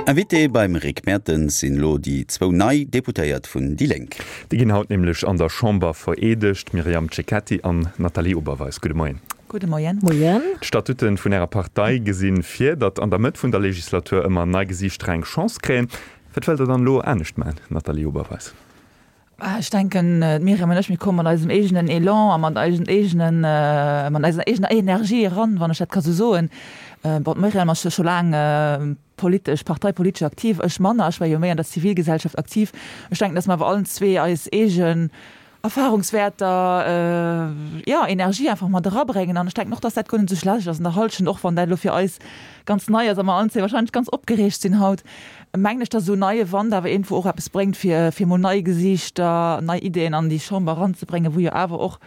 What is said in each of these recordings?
Invité beim Rick Mertens sinn elo déi zwou nei Deputéiert vun déi Lénk. Déi ginn haut nämlech an der Chamber vereedegt, Myriam Cecchetti an Nathalie Oberweis. Gudde Moien. Gudde Moien. Moien. D'Statute vun Ärer Partei gesi vir, datt an der Mëtt vun der Legislatur ëmmer nei Gesiichter eng Chance kréien. Wat wëllt Der dann elo anescht maachen, Nathalie Oberweis? Ech denken, d'Myriam an ech, mir komme mat eisem eegenen Elan a mat eisen eegenen, mat eiser eegener Energie eran, wann ech dat ka sou soen. Bon, d'Myriam ass jo scho laang politesch, parteipolitesch aktiv, ech manner, ech war jo méi an der Zivilgesellschaft aktiv. Ech denken, datt mer awer allen zwee eis eegen Erfahrungswäerter, jo, Energie einfach mat erabréngen. An ech denken och, datt dat guer net esou schlecht ass an der Hallschent, och wann dat elo fir eis ganz nei ass a mer allen zwee wahrscheinlech ganz opgereegt sinn haut, mengen ech, datt esou neie Wand awer iergendwou och eppes bréngt, fir fir emol nei Gesiichter, nei Ideeën an déi Chamber eranzebréngen, wou jo awer och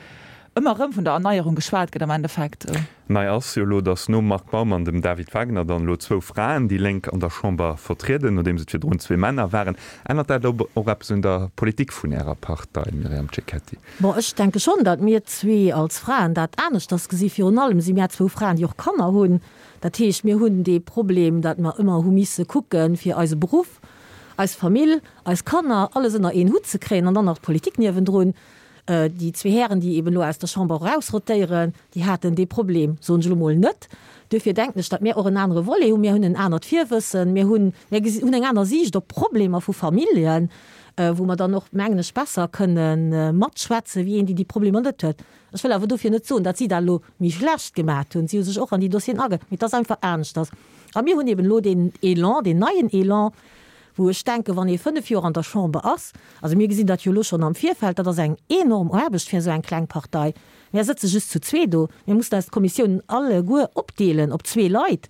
ëmmer erëm vun der Erneierung geschwat gëtt am Endeffekt. Nei ass jo elo, datt nom Marc Baum an dem David Wagner dann elo zwou Fraen déi Lénk an der Chamber vertrieden, nodeems et virdrun zwee Männer waren. Ännert dat och eppes un der Politik vun Ärer Partei, Myriam Cecchetti? Bon, ech denke schonn, datt mir zwee als Fraen dat aneschters gesi. Virun allem si mär zwou Fraen, déi och Kanner hunn. Dat heescht, mir hunn dee Problem, datt mer ëmmer hu misse kucken, fir eise Beruff, eis Famill, eis Kanner, alles ënner een Hutt ze kréien an dann nach d'Politik niewendrun. Déi zwee Hären, déi eben elo aus der Chamber erausrotéieren, déi haten dee Problem, soen ech elo mol, net. Duerfir denken ech, datt mir och en anere Volet hunn. Mir hunn en anert Virwëssen, mir hunn, mir hunn eng aner Siicht op d'Problemer vu Familljen, wou mer dann och, mengen ech, besser kënne matschwätzen, wéi een, déi déi Problemer net huet. Ech wëll awer dofir net soen, datt si dat elo méi schlecht gemaacht hunn. Si hu sech och an déi Dossieren age, mee et ass einfach aneschters. A mir hunn eben elo deen Elan, deen neien Elan, wou ech denken, wann ee fënnf Joer an der Chamber ass, also mir gesinn dat jo elo schonn am Virfeld, dat ass eng enorm Aarbecht fir esou eng kleng Partei. Mär sëtze just zu zwee do, mir mussen eis d'Kommissiounen alleguer opdeelen op zwee Leit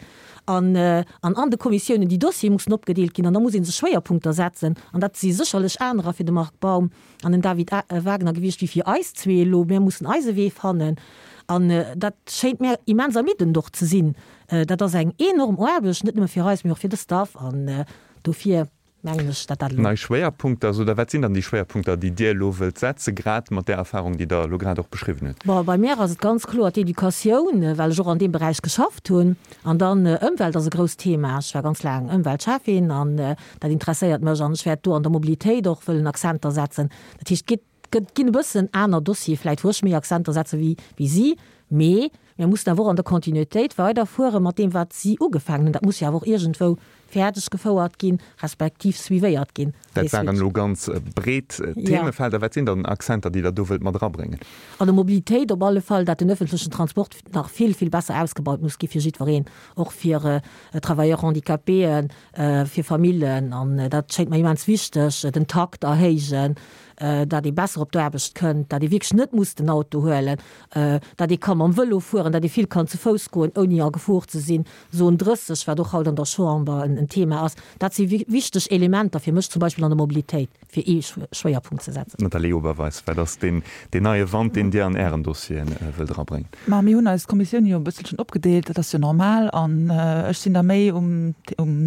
an an an de Kommissiounen déi Dossiere mussen opgedeelt ginn an da muss ee sech Schwéierpunkter setzen an dat si sécherlech anerer fir de Marc Baum an den David Wagner gewiescht wéi fir eis zwee elo. Mir mussen eise Wee fannen an dat schéint mär immens ermiddend och ze sinn. Dat ass eng enorm Aarbecht, net nëmme fir eis, mee och fir de Staff. An dofir mengen ech, datt dat elo. Nei Schwéierpunkter, sot Der. Wat sinn dann déi Schwéierpunkter, déi Dir elo wëllt setzen, grad mat där Erfahrung, déi Der elo grad och beschriwwen hutt? Bon, bei mär ass et ganz kloer d'Educatioun, well ech och an deem Beräich geschafft hunn. An dann Ëmwelt ass e grousst Thema. Ech war ganz laang Ëmweltschäffin an dat interesséiert mech. An ech wäert do an der Mobilitéit och wëllen Accenter setzen. Dat heescht, et geet, ginn e bëssen aner Dossiere vläicht, wou ech méi Accenter setze wéi si. Mee mir mussen awer och an der Kontinuitéit weiderfuere mat deem, wat si ugefaangen hunn. Dat muss jo awer och iergendwou fäerdeg gefouert ginn, respektiv suivéiert ginn. Dat waren elo ganz breet Themefelder. Wat sinn dann Accenter, déi Der do wëllt mat erabréngen? An der Mobilitéit op alle Fall, dat den öffentlechen Transport nach vill, vill besser ausgebaut muss gi fir jiddwereen, och fir Travailleurs handicapéen, fir Famillen. An dat schéngt mer immens wichteg, den Takt erhéijen, dat ee besser op d'Aarbecht kënnt, dat ee wierklech net muss den Auto huelen, dat ee ka mam Vëlo fueren, dat ee vill kann zu Fouss goen, ouni a Gefor ze sinn, Zone 30, wat och haut an der Chamber en Thema ass. Dat si wichteg Elementer fir mech zum Beispill an der Mobilitéit, fir ee Schwéierpunkt ze setzen. Nathalie Oberweis, Wat ass deen neie Wand, deen Dir an Ären Dossiere wëllt erabréngen? Ma mir hunn eis Kommissioun jo e bësselchen opgedeelt, dat ass jo normal. An ech sinn da méi um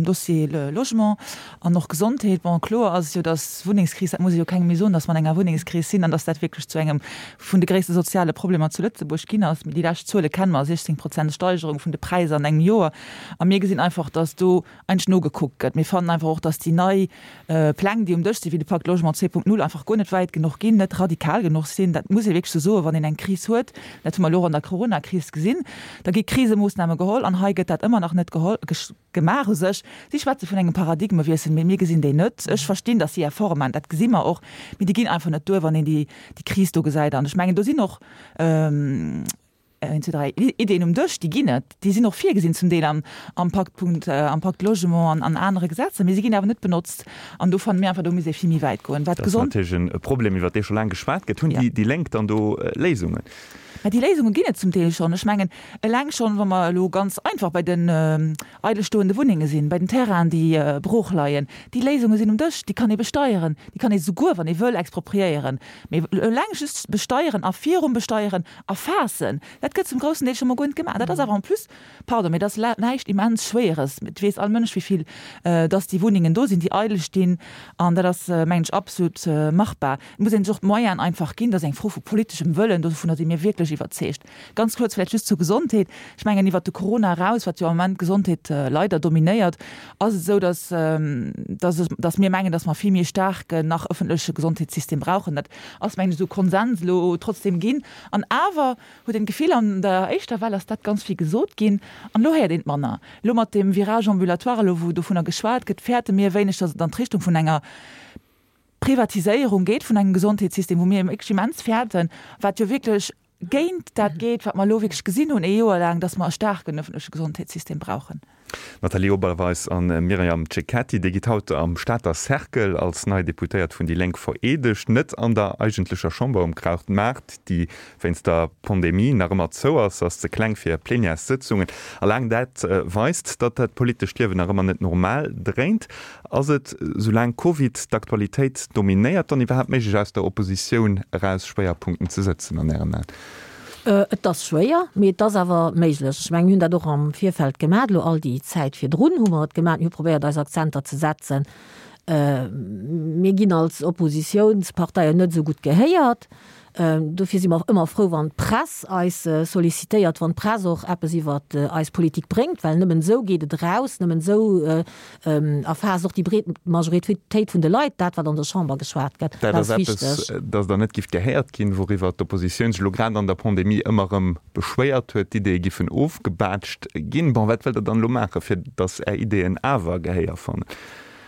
Dossier Logement an och Gesondheet. Bon, kloer ass et jo, datt d'Wunnengskris, dat muss ee jo kengem méi soen, datt mer an enger Wunnengskris sinn an datt dat wierklech zu engem vun de gréisste soziale Problemer zu Lëtzebuerg ginn ass. Déi lescht Zuele kenne mer, 16 Prozent Steigerung vun de Präisser an engem Joer. A mir gesinn einfach, datt do eigentlech nogekuckt gëtt. Mir fannen einfach och, datt déi nei Pläng, déi um Dësch sinn, wéi de Pacte Logement 2.0, einfach guer net wäit genuch ginn, net radikal genuch sinn. Dat muss ee wierklech esou soen, wann een eng Kris huet, dat hu mer elo och an der Coronakris gesinn, da gi Krisemoossname geholl an hei gëtt dat ëmmer nach net geholl. Gemaach u sech. Si schwätze vun engem Paradigmewiessel, mee mir gesinn deen net. Ech verstinn, datt si Efforte maachen, dat gesi mer och, mee déi ginn einfach net duer, wann een déi Kris do gesäit. An ech mengen, do sinn och een, zwee, dräi Ideeën um Dësch, déi ginn et, déi sinn och virgesinn zum Deel am am Pakt Punkt, am Pakt Logement an an anere Gesetzer, mee si ginn awer net benotzt. An do fanne mir einfach, do misst ee vill méi wäit goen. Wat Dat ass gesond. natierlech e Problem, iwwert dee scho laang geschwat gëtt. Hunn déi Lénk dann do Léisungen? Mä déi Léisunge ginn et zum Deel schonn. Ech mengen, eleng schonn, wa mer elo ganz einfach bei den eidel stoende Wunnenge sinn, bei den Terrainen, déi brooch leien, déi Léisunge sinn um Dësch, déi kann ee besteieren, déi kann ee souguer, wann ee wëll, expropriéieren. Mee eleng just besteieren a virum Besteieren erfaassen, dat gëtt zum groussen Deel scho mol guer net gemaach. Dat ass awer en plus, pardon, mee dat ass näischt immens Schwéieres. Et weess all Mënsch, wéi vill dass déi Wunnengen do sinn, déi eidel stinn. An dat ass, mengen ech, absolut machbar. Et muss een sech och d'Moyenen einfach ginn. Dat ass eng Fro vu politeschem Wëllen. Dovunner si mir wierklech. iwwerzeegt. Ganz kuerz vläicht just zur Gesondheet. Ech mengen, iwwert de Corona eraus, wat jo am Moment d'Gesondheet leider dominéiert, ass et esou, dass, dass, dass mir mengen, dass mer vill méi e staarken nach ëffentleche Gesondheetssystem brauchen. Dat ass, mengen ech, esou Konsens elo trotzdem ginn. An awer huet een d'Gefill, an der éischter Well ass dat ganz vill gesot ginn an elo héiert een et manner. Elo mat deem Virage ambulatoire, elo wou dovunner geschwat gëtt, fäerte mir e wéineg, dass et an d'Richtung vun enger Privatiséierung geet vun engem Gesondheetssystem, wou mir wierklech immens fäerten, wat jo wierklech géint dat geet, wat mer elo wierklech gesinn hunn ee Joer laang, dass mer e staarken öffentleche Gesondheetssystem brauchen. Nathalie Oberweis a Myriam Cecchetti, Dir gitt haut am Stater Cercle als nei Deputéiert vun déi Lénk vereedegt. Net an der eigentlecher Chamber um Krautmaart, déi wéinst der Pandemie nach ëmmer zou ass, ass ze kleng fir Plenièressëtzungen. A laang dat weist, datt dat politescht Liewen nach ëmmer net normal dréint. Ass et, soulaang Covid d'Aktualitéit dominéiert, dann iwwerhaapt méiglech aus der Oppositioun eraus Schwéierpunkten ze sëtzen an Ären Aen? Et ass schwéier, mee et ass awer méiglech. Ech mengen, mir hunn dat och am Virfeld gemaach, elo all déi Zäit virdrun hu mer et gemaach. Mir hu probéiert, eis Akzenter ze setzen. Mir ginn als Oppositiounsparteien net esou gutt gehéiert. Dofir si mer och ëmmer frou, wann d'Press eis sollicitéiert, wann d'Press och eppes iwwer eis Politik bréngt, well nëmmen esou geet et eraus, nëmmen esou erfaasst och déi breet Majoritéit vun de Leit dat, wat an der Chamber geschwat gëtt. Dat ass eppes, datt Der net gifft gehéiert ginn, wouriwwer d'Oppositioun sech elo grad an der Pandemie ëmmer erëm beschwéiert huet, d'Ideeë giffen ofgebaatscht ginn. Bon, wat wëllt Der dann elo maachen, fir datt Är Ideeën awer Gehéier fannen?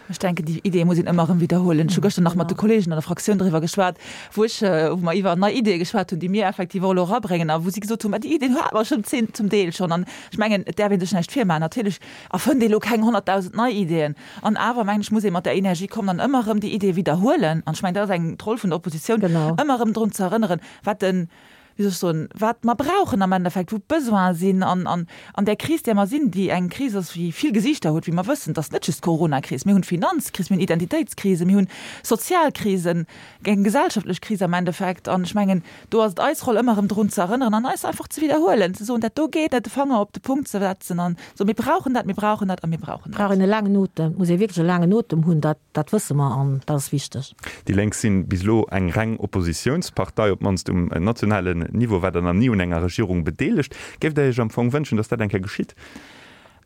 Ech denken, déi Ideeë muss een ëmmer erëm widderhuelen. Ech hu gëschter nach mat de Kolleegen an der Fraktioun driwwer geschwat, wou ech, wou mer iwwer nei Ideeë geschwat hunn, déi mir effektiv och elo erabréngen a wou si gesot hunn, Ma déi Ideeën hate mer schonn zum Deel schonn. An ech mengen, et däerf ee sech näischt virmaachen. Natierlech erfënnt ee elo keng 100.000 nei Ideeën. An awer, mengen ech, muss ee mat där Energie kommen an ëmmer erëm déi Ideeë widderhuelen. An ech mengen, dat ass eng d'Roll vun der Oppositioun, ëmmer erëm drun ze erënneren, wat de wéi soll ech soen, wat mer brauchen am Endeffekt, wou d'Besoine sinn an an an där Kris, där mer sinn, déi eng Kris ass, déi vill Gesiichter huet, wéi mer wëssen. Et ass net just d'Coronakris, mir hunn d'Finanzkris, mir hunn Identitéitskrise, mir hunn Sozialkrisen, eng gesellschaftlech Kris am Endeffekt. An ech mengen, do ass et eis Roll, ëmmer erëm drun ze erënneren an eis einfach ze widderhuelen, ze soen, dat do geet net, de Fanger op de Punkt ze setzen an ze soen, mir brauchen dat, mir brauchen dat a mir brauchen dat. Brauch een e laangen Otem, et muss ee wierklech e laangen Otem hunn, dat Dat wësse mer an dat ass wichteg. Déi Lénk sinn bis elo eng reng Oppositiounspartei, op d'mannst um nationalen Niveau war der nach ni un enger Regierung bedeelegt. Géift Der Iech am Fong wënschen, datt dat eng Kéier geschitt?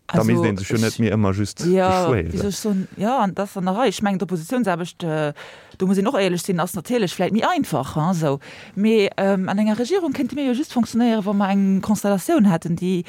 Da misst ee sech jo net méi ëmmer just beschwéieren. Jo, wéi soll ech soen, jo, an dat ass an der Rei. Ech mengen, d'Oppositiounsaarbecht, do muss een och éierlech sinn, ass natierlech vläicht méi einfach, hein, esou. Mee an enger Regierung kéinte mir jo just fonctionnéieren, wa mer eng Konstellatioun hätten, déi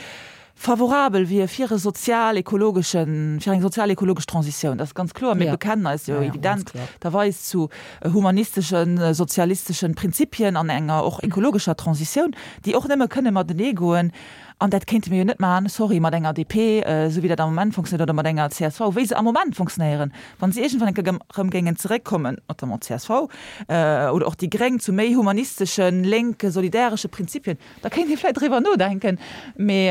favorabel wier fir e sozial-ekologeschen, fir eng sozial-ekologesch Transitioun. Dat ass ganz kloer. Mir bekennen eis jo evidenterweis zu humanisteschen, sozialisteschen Prinzipien an enger och ekologescher Transitioun, déi och nëmme kënne matenee goen. An dat kéinte mir jo net maachen, sorry, mat enger DP, esou wéi dat am Moment fonctionnéiert, oder mat enger csv, wéi se am Moment fonctionnéieren. Wa se iergendwann eng Kéier erëm géingen zeréckkommen, notamment d'CSV oder och déi Gréng, zu méi humanisteschen, lénke, solidäresche Prinzipien, Da kéint ee vläit driwwer nodenken, mee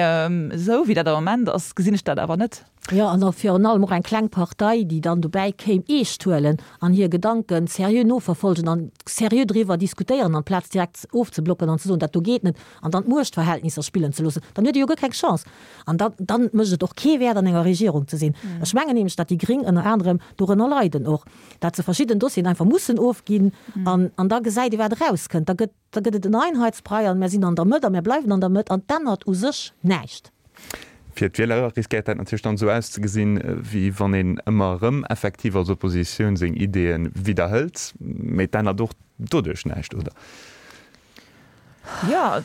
esou wéi dat am Moment ass, gesinn ech dat awer net. Jo, an och virun allem och eng kleng Partei, déi dann dobäi kéim, eescht huelen an hir Gedanken seriö noverfolgen an seriö driwwer diskutéieren, amplaz direkt ofzeblocken an ze soen, dat do geet net, an dann d'Muechtverhältnisser spillen ze loossen, dann huet ee jo guer keng Chance. An dann, dann mécht et och kee Wäert, an enger Regierung ze sinn. Ech mengen nämlech, datt déi Gréng ënner anerem dorënner leiden och, datt se verschidden Dossieren einfach mussen ofginn an, an da gesäit ee wat erauskënnt. Da gëtt. Da gëtt et en Einheitsbrei an mär sinn an der Mëtt a mär bleiwen an der Mëtt an 't ännert u sech näischt. Fir d'Wieler riskéiert dat natierlech dann esou auszegesinn, wéi wann een ëmmer erëm effektiv als Oppositioun seng Ideeë widderhëlt. Mee et ännert och doduerch näischt, oder? Jo,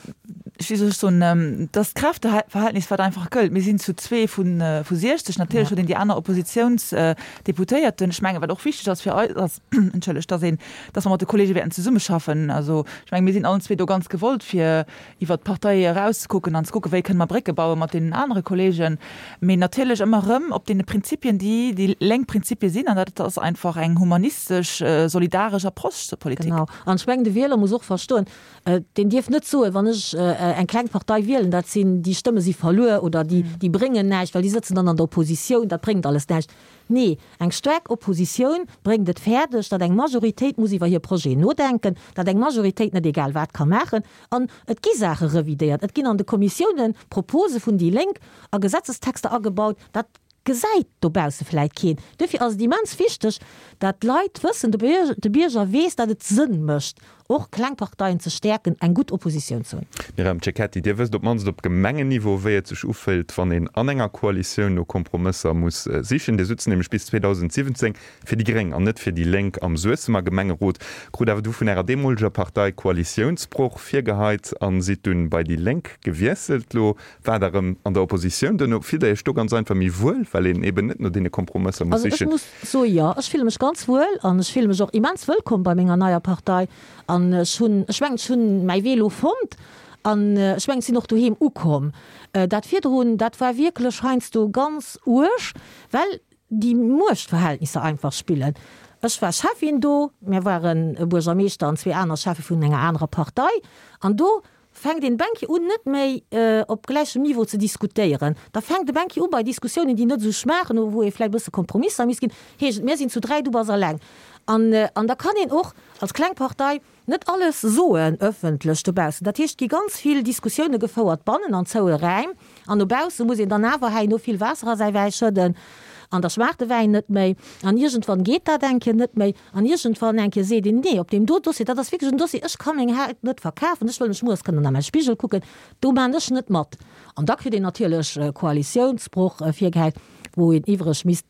wéi soll ech soen, et ass d'Kräfteverhältnis, wat einfach gëllt. Mir sinn zu zwee vu 60. Natierlech huet een déi aner Oppositiounsdeputéierten. Ech mengen, wat och wichteg ass fir eis, ass, entschëllegt, dass een, dass mer mat de Kollege wäerten zesummeschaffen. Also ech menge mir sinn allen zwee do ganz gewollt, fir iwwert d'Partei erauszekucken an ze kucken, wéi kënne mer Brécke baue mat deenen anere Kollegen. Mee natierlech ëmmer erëm op deene Prinzipien, déi déi lénk Prinzipie sinn, an dat ass einfach eng humanistesch, solidaresch Approche zur Politik. Genau. An ech mengen, de Wieler muss och verstoen, deen dierf net soen, wann ech eng kleng Partei wielen, dat sinn, déi Stëmme si verluer oder déi, déi bréngen näischt, well déi sëtzen dann an der Oppositioun, dat bréngt alles näischt. Nee, eng staark Oppositioun bréngt et fäerdeg, datt eng Majoritéit muss iwwer hir Projeten nodenken, datt eng Majoritéit net egal wat ka maachen. An et gi Saache revidéiert, et ginn an de Kommissiounen Propose vun déi Lénk a Gesetzestexter agebaut. Dat gesäit dobausse vläit keen. Duerfir ass et immens wichteg, datt d'Leit wëssen, de Bierger weess, datt et Sënn mécht. och kleng Parteien ze stäerken, eng gutt Oppositioun ze hunn. Myriam Cecchetti, Dir wësst op d'mannst op Gemengenniveau, wéi et sech ufillt, wann een an enger Koalitioun no Kompromësser muss sichen. Dir sutzt nämlech bis 2017 fir déi gréng an net fir déi Lénk am Suessemer Gemengerot, krut awer du vun Ärer deemoleger Partei Koalitiounsbroch virgeheit a sidd dunn bei déi Lénk gewiesselt. Lo waart Der erëm an der Oppositioun. Duerno fillt Der Iech do ganz einfach méi wuel, well een eben net no deene Kompromësser muss Also ech sichen? muss soe jo, ech fille mech ganz wuel an ech fille mech och immens wëllkomm bei menger neier Partei an ech hunn, ech mengen ech hunn mäi Wee elo fonnt an ech mengen ech sinn och doheem ukomm. Dat virdrun, dat war wierklech heiansdo ganz uerg, well déi Muechtverhältnisser einfach spillen. Ech war Schäffin do, mir waren e Buergermeeschter an zwee aner Schäffe vun enger anerer Partei an do fänkt een Banquier un net méi op gläichem Niveau ze diskutéieren. Da fänkt e Banquier u bei Diskussiounen, déi net esou schmaachen oder wou ee vläicht e bësse Kompromisser misst ginn, heescht et, mir sinn zu 3, du bass alleng. An an da kann een och als kleng Partei net alles soen ëffentlech dobaussen. Dat heescht, et gi ganz vill Diskussioune gefouert bannen an zoue Räim an no bausse muss een dann awer herno vill Waasser a säi Wäi schëdden an da schmaacht de Wäin net méi an iergendwann geet dat eng Kéier net méi. An iergendwann eng Kéier seet een, Nee, op deem do Dossier, dat ass wierklech en Dossier, ech ka meng Haut net verkafen, ech wëll mech mueres kënnen a mäi Spigel kucken, do maan ech net mat. An da kritt een natierlech Koalitiounsbroch virgehäit, wou een iwwreg misst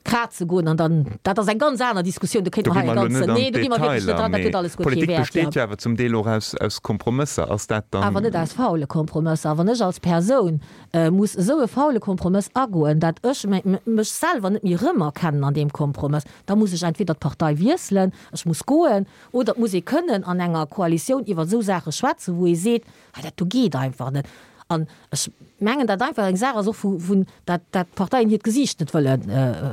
kraze goen. An dann, dat ass eng ganz aner Diskussioun, do kéinte mer hei e ganzen, Do gi mer elo net an nee, do gi mer wierklech net d'Detailer, dran, dat mee huet alles guer kee Politik Wäert, besteet jo. jo awer zum Deel och aus, aus Kompromësser. Ass dat dann. Awer net aus faule Kompromësser. Wann ech als Persoun muss esou e faule Kompromëss agoen, dat ech mech selwer net méi erëmerkennen an deem Kompromëss, da muss ech entweder d'Partei wiesselen, ech muss goen, oder et muss ee kënnen an enger Koalitioun iwwer esou Saache schwätzen, wou ee seet, hei dat do geet einfach net. An ech mengen, dat einfach eng Saach ass och vu, dat d'Parteien hiert Gesiicht net wëlle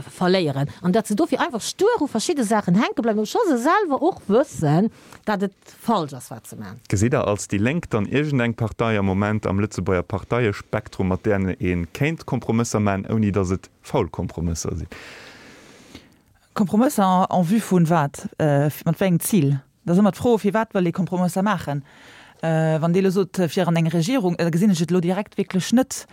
verléieren an dat se dofir einfach stur u verschidde Saachen hänke bleiwen, obscho se selwer och wëssen, dat et falsch ass wat se man. Gesitt Der als déi Lénk dann iergendeng Partei am Moment am Lëtzebuerger Parteiespektrum, mat där ee kéint Kompromësser man, ouni datt et faul Kompromësser sinn? Kompromësser en vue vun wat? Mat wéi engem Zil? Dat ass ëmmer d'Fro, firwat wëll ee Kompromësser maachen? Wann Dir elo sot, fir an eng Regierung, da gesinn ech et elo direkt wierklech net,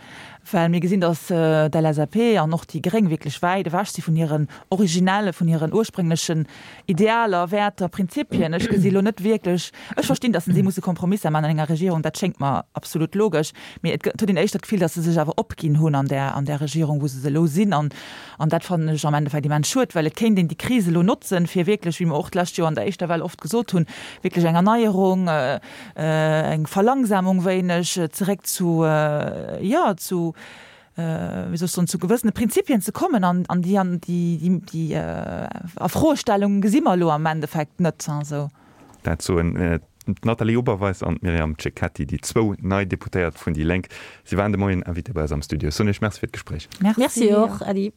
well mir gesinn, datt d'LSAP an och déi Gréng wierklech wäit ewech si vun hiren originelle, vun hiren ursprénglechen Idealer, Wäerter, Prinzipien. Ech gesi elo net wierklech, ech verstinn, datt si musse Kompromisser maachen an enger Regierung, dat schéngt mer absolut logesch, mee et huet een éischter d'Gefill, datt se sech awer opginn hunn an där, an där Regierung, wou se elo sinn. An, an dat fannen ech am Endeffekt immens schued, well et kéint een déi Kris elo notzen, fir wierklech, wéi mer och d'lescht Joer an der éischter Well oft gesot hunn, wierklech eng Erneierung, eng Verlangsamung wéineg, zeréck zu, jo, zu, wéi soll ech soen, zu gewëssene Prinzipien ze kommen an an déi an déi déi déi Afroestellung gesi mer elo am Endeffekt net esou. Dat soen d'Nathalie Oberweis an d'Myriam Cecchetti, déi zwou nei Deputéiert vun déi Lénk. Si waren de Moien Invité bei eis am Studio. Ech soen Iech Merci fir d'Gespréich. Merci och, Äddi.